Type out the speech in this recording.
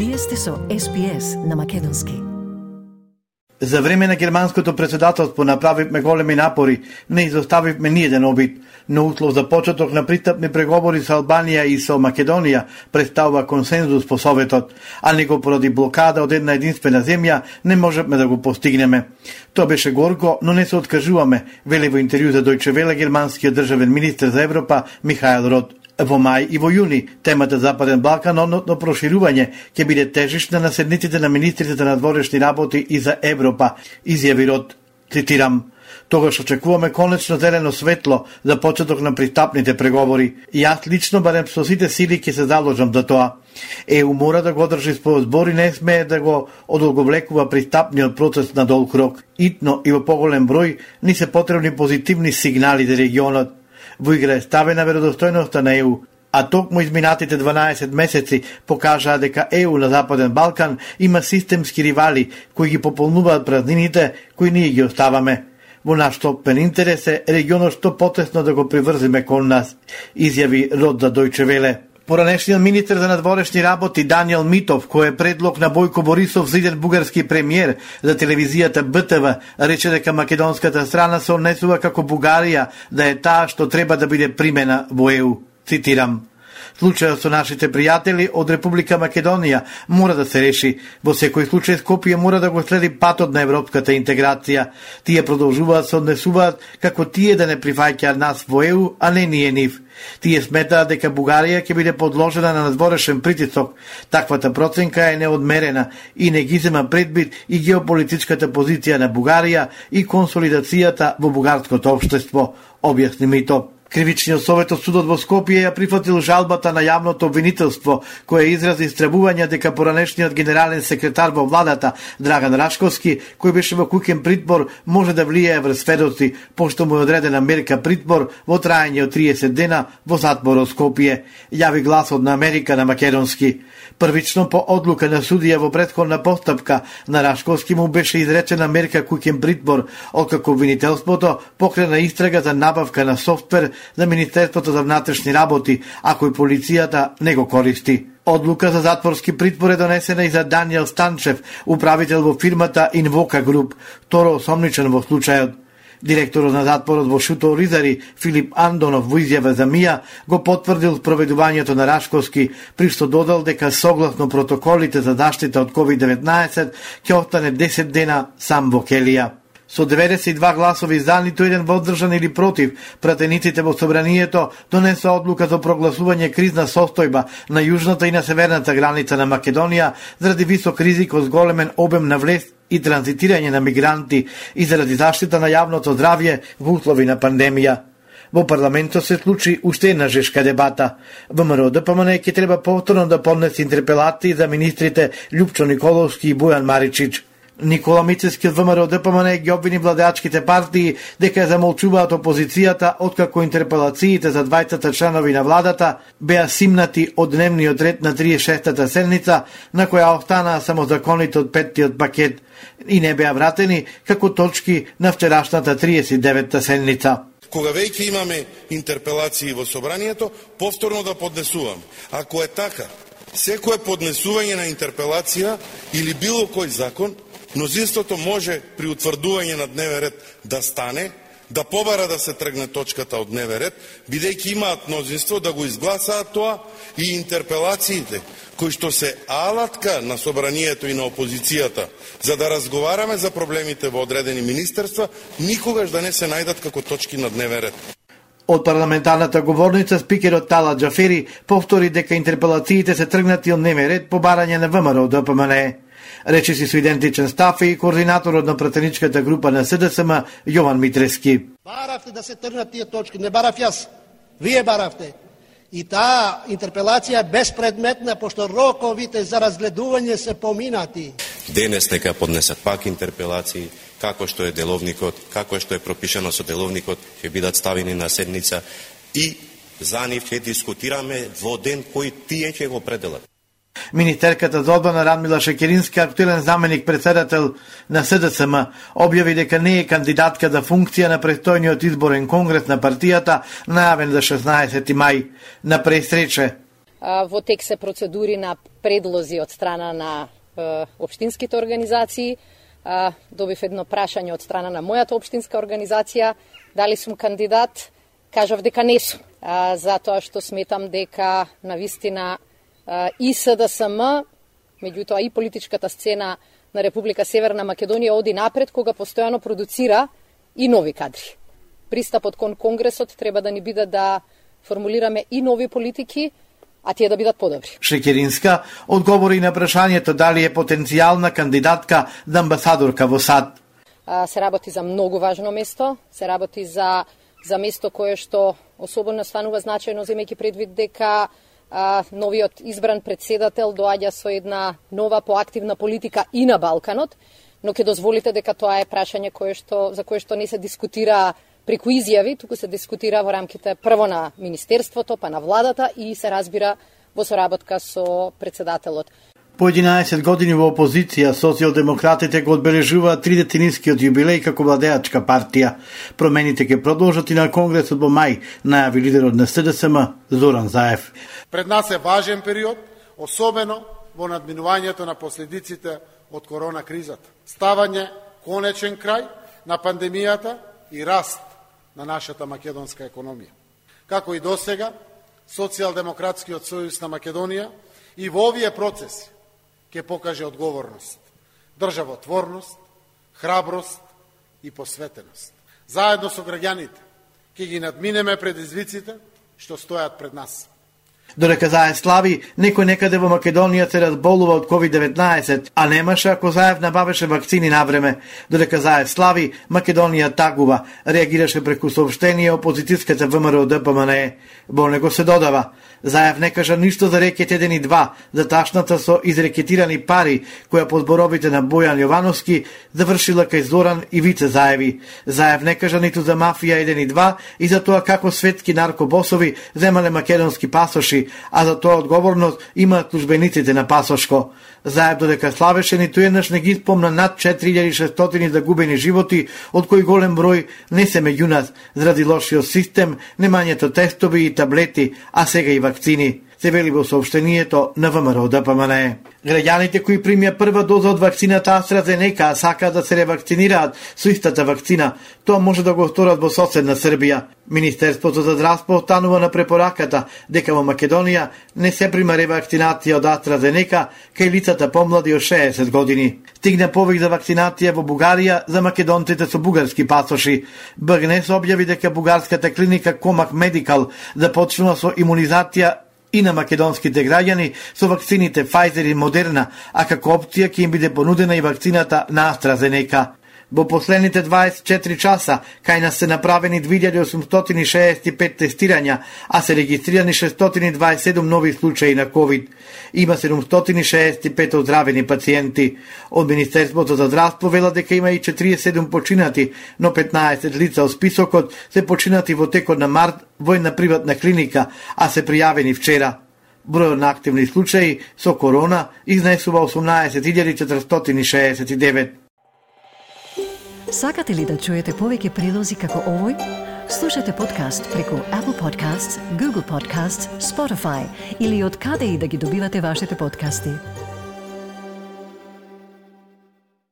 Вие сте со SPS на македонски. За време на германското председателство направивме големи напори, не изоставивме ниеден обид, но услов за почеток на пристапни преговори со Албанија и со Македонија представува консензус по Советот, а него поради блокада од една единствена земја не можевме да го постигнеме. Тоа беше горко, но не се откажуваме, вели во интервју за Deutsche Welle германскиот државен министер за Европа Михаел Рот. Во мај и во јуни темата Западен Балкан, односно проширување, ќе биде тежишна на седниците на министрите на надворешни работи и за Европа, изјави Рот. Цитирам: "Тогаш очекуваме конечно зелено светло за почеток на пристапните преговори. Јас лично, барем со сите сили, ќе се заложам за тоа. ЕУ мора да го одржи својот збор и не смее да го одолговлекува пристапниот процес на долг рок. Итно и во поголем број ни се потребни позитивни сигнали за регионот. Во игра е ставена веродостојноста на ЕУ, а токму изминатите 12 месеци покажаа дека ЕУ на Западен Балкан има системски ривали кои ги пополнуваат празнините кои ние ги оставаме. Во наш стопен интерес е регионот што потесно да го приврзиме кон нас", изјави Рот за Deutsche Welle. Поранешниот министер за надворешни работи Даниел Митов, кој е предлог на Бојко Борисов за иден бугарски премиер за телевизијата БТВ, рече дека македонската страна се однесува како Бугарија да е таа што треба да биде примена во ЕУ. Цитирам: "Случајот со нашите пријатели од Република Македонија мора да се реши. Во секој случај Скопје мора да го следи патот на европската интеграција. Тие продолжуваат се однесуваат како тие да не прифаќаат нас во ЕУ, а не ние нив. Тие сметаат дека Бугарија ќе биде подложена на надворешен притисок. Таквата проценка е неодмерена и не ги зема предвид и геополитичката позиција на Бугарија и консолидацијата во бугарското општество", објасни Митов. Кривичниот совет од судот во Скопје ја прифатил жалбата на јавното обвинителство, која изрази истребување дека поранешниот генерален секретар во владата Драган Рашковски, кој беше во куќен притвор, може да влијае врз сведоци, пошто му е одредена мерка притвор во траење од 30 дена во затворот Скопје, јави гласот на Америка на македонски. Првично по одлука на судија во претходна постапка на Рашковски му беше изречена мерка куќен притвор, откако обвинителството покрена истрага за набавка на софтвер за Министерството за внатрешни работи, а кој полицијата не го користи. Одлука за затворски притвор е донесена и за Даниел Станчев, управител во фирмата Инвока Груп, второ осомничен во случајот. Директорот на затворот во Шуто Ризари, Филип Андонов, во изјава за МИА, го потврдил спроведувањето на Рашковски, при што додал дека согласно протоколите за заштита од COVID-19 ќе остане 10 дена сам во келија. Со 92 гласови за, ниту еден воздржан или против, пратениците во собранието донесоа одлука за прогласување кризна состојба на јужната и на северната граница на Македонија заради висок ризик од зголемен обем на влез и транзитирање на мигранти и заради заштита на јавното здравје во услови на пандемија. Во парламентот се случи уште една жешка дебата. ВМРО ДПМН ќе треба повторно да поднесе интерпелации за министрите Љупчо Николовски и Бојан Маричич. Никола Мицевски од ВМРО ДПМН ги обвини владеачките партии дека замолчуваат опозицијата откако интерпелациите за двајцата членови на владата беа симнати од дневниот ред на 36-та седница, на која останаа само законите од 5-тиот пакет и не беа вратени како точки на вчерашната 39-та седница. Кога веќе имаме интерпелации во собранието, повторно да поднесувам. Ако е така, секое поднесување на интерпелација или било кој закон, мнозинството може при утврдување на дневен ред да стане, да побара да се тргне точката од дневен ред, бидејќи имаат мнозинство да го изгласаат тоа и интерпелациите, кои што се алатка на собранието и на опозицијата, за да разговараме за проблемите во одредени министерства, никогаш да не се најдат како точки на дневен ред. Од парламентарната говорница, спикерот Тала Џафери повтори дека интерпелациите се тргнати од дневен ред по барање на ВМРО ДПМН. Речи си со идентичен став и координаторот на пратеничката група на СДСМ Јован Митрески. Баравте да се тргнат тие точки, не барав јас, вие баравте. И таа интерпелација е безпредметна, пошто роковите за разгледување се поминати. Денес нека поднесат пак интерпелации, како што е деловникот, како што е пропишано со деловникот, ќе бидат ставени на седница и за нив ќе дискутираме во ден кој тие ќе го пределат. Министерката за одбрана Радмила Шекеринска, актуелен заменик председател на СДСМ, објави дека не е кандидатка за функција на престојниот изборен конгрес на партијата, најавен за 16 мај. На пресрече: Во тек се процедури на предлози од страна на општинските организации. Добив едно прашање од страна на мојата општинска организација, дали сум кандидат, кажав дека не сум, затоа што сметам дека навистина и СДСМ, меѓутоа и политичката сцена на Република Северна Македонија оди напред кога постојано продуцира и нови кадри. Пристапот кон Конгресот треба да ни биде да формулираме и нови политики, а тие да бидат подобри. Шекеринска одговори на прашањето дали е потенцијална кандидатка за амбасадорка во САД. Се работи за многу важно место, се работи за место кое што особено станува значајно, земејќи предвид дека новиот избран председател доаѓа со една нова поактивна политика и на Балканот, но ќе дозволите дека тоа е прашање за кое што не се дискутира преку изјави, туку се дискутира во рамките прво на Министерството, па на владата и се разбира во соработка со председателот. По 11 години во опозиција, социјалдемократите го одбележуваат 30-нискиот јубилеј како владеачка партија. Промените ќе продолжат и на Конгресот во мај, најави лидерот на СДСМ Зоран Заев. Пред нас е важен период, особено во надминувањето на последиците од корона кризата. Ставање конечен крај на пандемијата и раст на нашата македонска економија. Како и досега, Социјалдемократскиот сојуз на Македонија и во овие процеси ќе покаже одговорност, државотворност, храброст и посветеност. Заедно со граѓаните ќе ги надминеме предизвиците што стојат пред нас. Додека Заев слави, некој некаде во Македонија се разболува од COVID-19, а немаше ако Заев набавеше вакцини на време. Додека Заев слави, Македонија тагува, реагираше преку соопштение опозицијската ВМРО ДПМНЕ. Во него се додава: Заев не кажа ништо за рекет 1 и 2, за ташната со изрекетирани пари, која по зборовите на Бојан Јовановски завршила кај Зоран и Вице Заеви. Заев не кажа ниту за мафија 1 и 2 и за тоа како светски наркобосови земале македонски пасоши, а за тоа одговорност имаат службениците на пасошко. Заев додека славеше, ниту еднаш не ги спомна над 4600 загубени животи, од кои голем број не се меѓу нас, заради лошиот систем, немањето тестови и таблети, а сега и вакцини, се вели во соопштението на ВМРО ДПМНЕ. Граѓаните кои примија прва доза од вакцината AstraZeneca, а сакаат да се ревакцинираат со истата вакцина, тоа може да го сторат во соседна Србија. Министерството за здравство останува на препораката дека во Македонија не се прима ревакцинација од AstraZeneca кај лицата помлади од 60 години. Стигна повик за вакцинација во Бугарија за македонците со бугарски пасоши. БГНЕС објави дека бугарската клиника Комак Медикал започнува со имунизација и на македонските граѓани со вакцините Pfizer и Moderna, а како опција ќе им биде понудена и вакцината на AstraZeneca. Во последните 24 часа кај нас се направени 2865 тестирања, а се регистрирани 627 нови случаи на COVID. Има 765 оздравени пациенти. Од Министерството за здравство вела дека има и 47 починати, но 15 лица од списокот се починати во текот на март во една приватна клиника, а се пријавени вчера. Бројот на активни случаи со корона изнесува 18.469. Сакате ли да чуете повеќе прилози како овој? Слушате подкаст преку Apple Podcasts, Google Podcasts, Spotify или од каде и да ги добивате вашите подкасти.